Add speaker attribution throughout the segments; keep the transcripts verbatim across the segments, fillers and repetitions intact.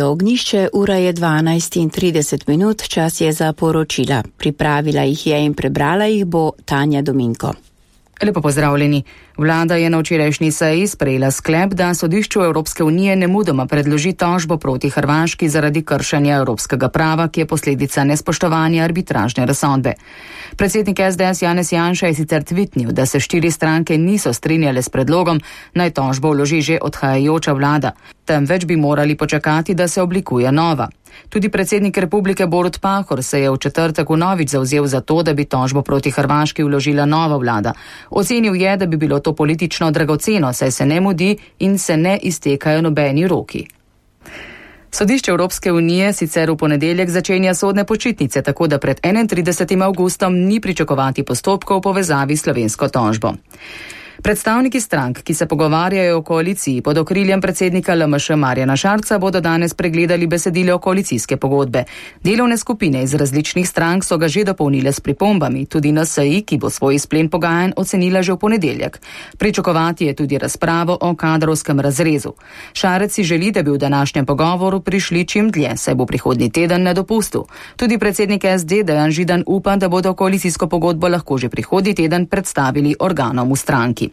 Speaker 1: Ognjišče, ura je dvanajst in trideset minut, čas je za poročila. Pripravila jih je in prebrala jih bo Tanja Dominko.
Speaker 2: Lepo pozdravljeni. Vlada je na včerajšnji seji sprejela sklep, da sodišču Evropske unije nemudoma predloži tožbo proti Hrvaški zaradi kršenja evropskega prava, ki je posledica nespoštovanja arbitražne razsodbe. Predsednik es de es Janez Janša je sicer tvitnil, da se štiri stranke niso strinjale s predlogom, naj tožbo vloži že odhajajoča vlada, temveč bi morali počakati, da se oblikuje nova. Tudi predsednik republike Borut Pahor se je v četrtek vnovič zavzel za to, da bi tožbo proti Hrvaški vložila nova vlada. Ocenil je, da bi bilo to politično dragoceno, saj se ne mudi in se ne iztekajo nobeni roki. Sodišče Evropske unije sicer v ponedeljek začenja sodne počitnice, tako da pred enaintridesetim avgustom ni pričakovati postopkov v povezavi s slovensko tožbo. Predstavniki strank, ki se pogovarjajo o koaliciji pod okriljem predsednika el em š Marjana Šarca, bodo danes pregledali besedilo koalicijske pogodbe. Delovne skupine iz različnih strank so ga že dopolnile s pripombami, tudi en es i, ki bo svoj izplen pogajanj ocenila že v ponedeljek. Pričakovati je tudi razpravo o kadrovskem razrezu. Šarec si želi, da bi v današnjem pogovoru prišli čim dlje, saj bo prihodnji teden na dopustu. Tudi predsednik es de Dejan Židan upa, da bodo koalicijsko pogodbo lahko že prihodnji teden predstavili organom v stranki.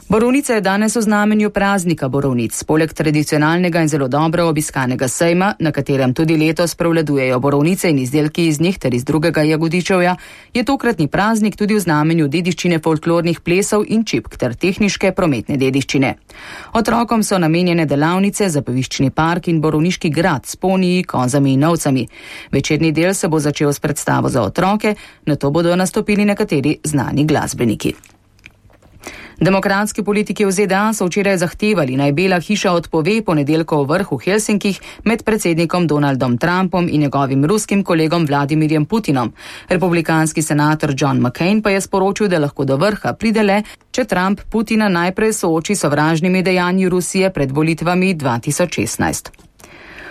Speaker 2: Borovnica je danes v znamenju praznika borovnic. Poleg tradicionalnega in zelo dobro obiskanega sejma, na katerem tudi letos prevladujejo borovnice in izdelki iz njih ter iz drugega jagodičevja, je tokratni praznik tudi v znamenju dediščine folklornih plesov in čipk ter tehniške prometne dediščine. Otrokom so namenjene delavnice, zabaviščni park in borovniški grad s poniji, kozami in ovcami. Večerni del se bo začel s predstavo za otroke, nato bodo nastopili nekateri znani glasbeniki. Demokratski politiki v ZDA so včeraj zahtevali, naj Bela hiša odpove ponedeljkov vrh v Helsinkih med predsednikom Donaldom Trumpom in njegovim ruskim kolegom Vladimirjem Putinom. Republikanski senator John McCain pa je sporočil, da lahko do vrha pride le, če Trump Putina najprej sooči s sovražnimi dejanji Rusije pred volitvami dva tisoč šestnajst.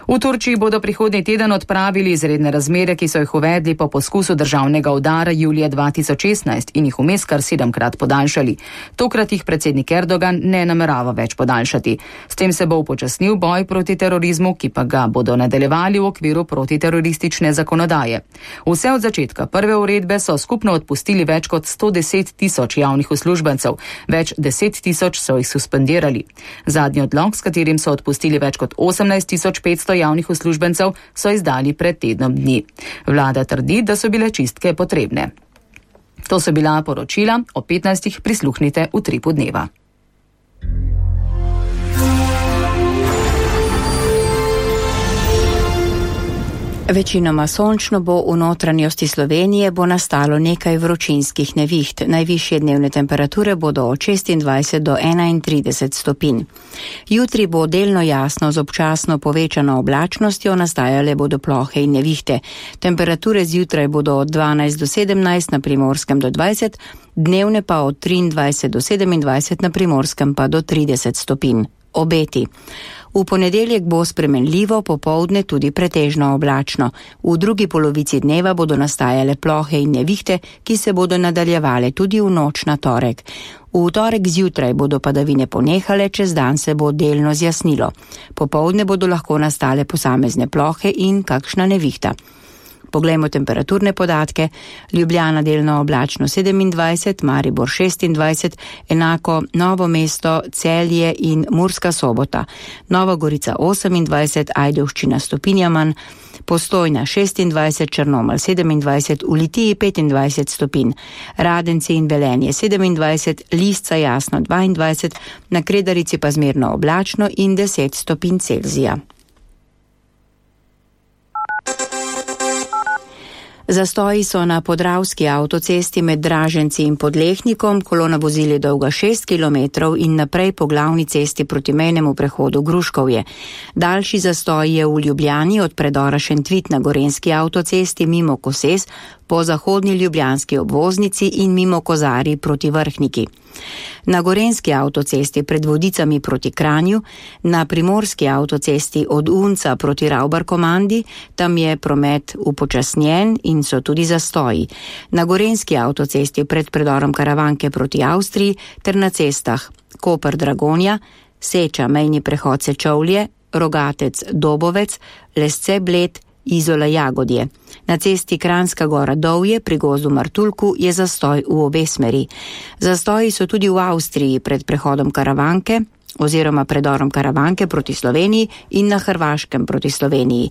Speaker 2: V Turčiji bodo prihodnji teden odpravili izredne razmere, ki so jih uvedli po poskusu državnega udara julija dva tisoč šestnajst in jih vmes kar sedemkrat podaljšali. Tokrat jih predsednik Erdogan ne namerava več podaljšati. S tem se bo upočasnil boj proti terorizmu, ki pa ga bodo nadaljevali v okviru protiteroristične zakonodaje. Vse od začetka prve uredbe so skupno odpustili več kot sto deset tisoč javnih uslužbencev, več deset tisoč so jih suspendirali. Zadnji odlok, s katerim so odpustili več kot osemnajst tisoč petsto javnih uslužbencev, so izdali pred tednom dni. Vlada trdi, da so bile čistke potrebne. To so bila poročila, o petnajstih prisluhnite v Tripu dneva.
Speaker 1: Večinoma sončno bo, v notranjosti Slovenije bo nastalo nekaj vročinskih neviht. Najvišje dnevne temperature bodo od šestindvajset do enaintrideset stopinj. Jutri bo delno jasno z občasno povečano oblačnostjo, nastajale bodo plohe in nevihte. Temperature zjutraj bodo od dvanajst do sedemnajst, na Primorskem do dvajset, dnevne pa od triindvajset do sedemindvajset, na Primorskem pa do trideset stopinj. Obeti. V ponedeljek bo spremenljivo, popoldne tudi pretežno oblačno. V drugi polovici dneva bodo nastajale plohe in nevihte, ki se bodo nadaljevale tudi v noč na torek. V torek zjutraj bodo padavine ponehale, čez dan se bo delno zjasnilo. Popoldne bodo lahko nastale posamezne plohe in kakšna nevihta. Poglejmo temperaturne podatke. Ljubljana delno oblačno sedemindvajset, Maribor šestindvajset, enako Novo mesto, Celje in Murska Sobota. Nova Gorica osemindvajset, Ajdovščina stopinja manj, Postojna šestindvajset, Črnomelj sedemindvajset, v Litiji petindvajset stopinj, Radenci in Velenje sedemindvajset, Lisca jasno dvaindvajset, na Kredarici pa zmerno oblačno in deset stopinj Celzija. Zastoji so na Podravski avtocesti med Draženci in Podlehnikom, kolona vozil je dolga šest kilometrov in naprej po glavni cesti proti mejnemu prehodu Gruškovje. Daljši zastoj je v Ljubljani od predora Šentvit na Gorenjski avtocesti mimo Koses, po zahodni ljubljanski obvoznici in mimo Kozarji proti Vrhniki. Na Gorenjski avtocesti pred Vodicami proti Kranju, na Primorski avtocesti od Unca proti Ravbarkomandi, tam je promet upočasnjen in so tudi zastoji. Na Gorenjski avtocesti pred predorom Karavanke proti Avstriji ter na cestah Koper Dragonja, Seča mejni prehod Sečovlje, Rogatec Dobovec, Lesce Bled, Izola Jagodje. Na cesti Kranjska Gora Dovje pri gozdu Martuljku je zastoj v obe smeri. Zastoji so tudi v Avstriji pred prehodom Karavanke oziroma predorom Karavanke proti Sloveniji in na Hrvaškem proti Sloveniji.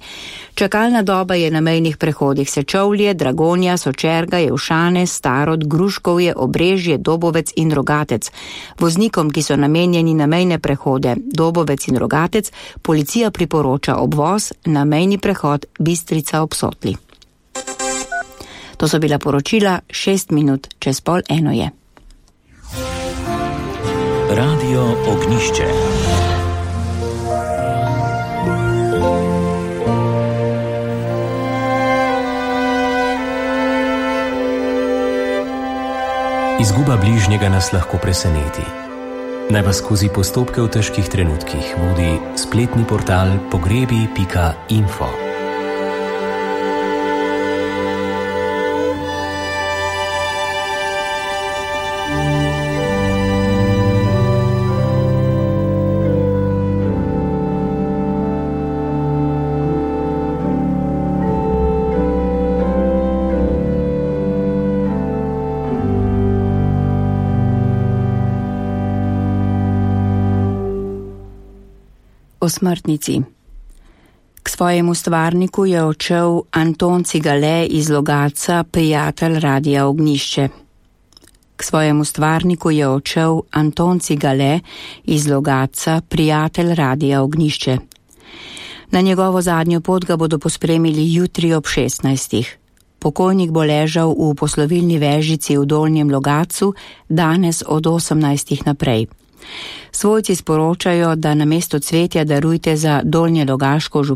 Speaker 1: Čakalna doba je na mejnih prehodih Sečovlje, Dragonja, Sočerga, Jevšane, Starod, Gruškovje, Obrežje, Dobovec in Rogatec. Voznikom, ki so namenjeni na mejne prehode Dobovec in Rogatec, policija priporoča obvoz na mejni prehod Bistrica ob Sotli. To so bila poročila, šest minut čez pol eno je.
Speaker 3: Radio Ognišče. Izguba bližnjega nas lahko preseneti. Naj vas skozi postopke v težkih trenutkih vodi spletni portal pogrebi pika info.
Speaker 1: O smrtnici. K svojemu stvarniku je odšel Anton Cigale iz Logatca, prijatelj Radia Ognišče. K svojemu stvarniku je odšel Anton Cigale iz Logatca, prijatelj Radia Ognišče. Na njegovo zadnjo pot ga bodo pospremili jutri ob šestnajstih. Pokojnik bo ležal v poslovilni vežici v Dolnjem Logatcu, danes od osemnajstih naprej. Svojci sporočajo, da namesto cvetja darujte za Dolnjelogaško župnijo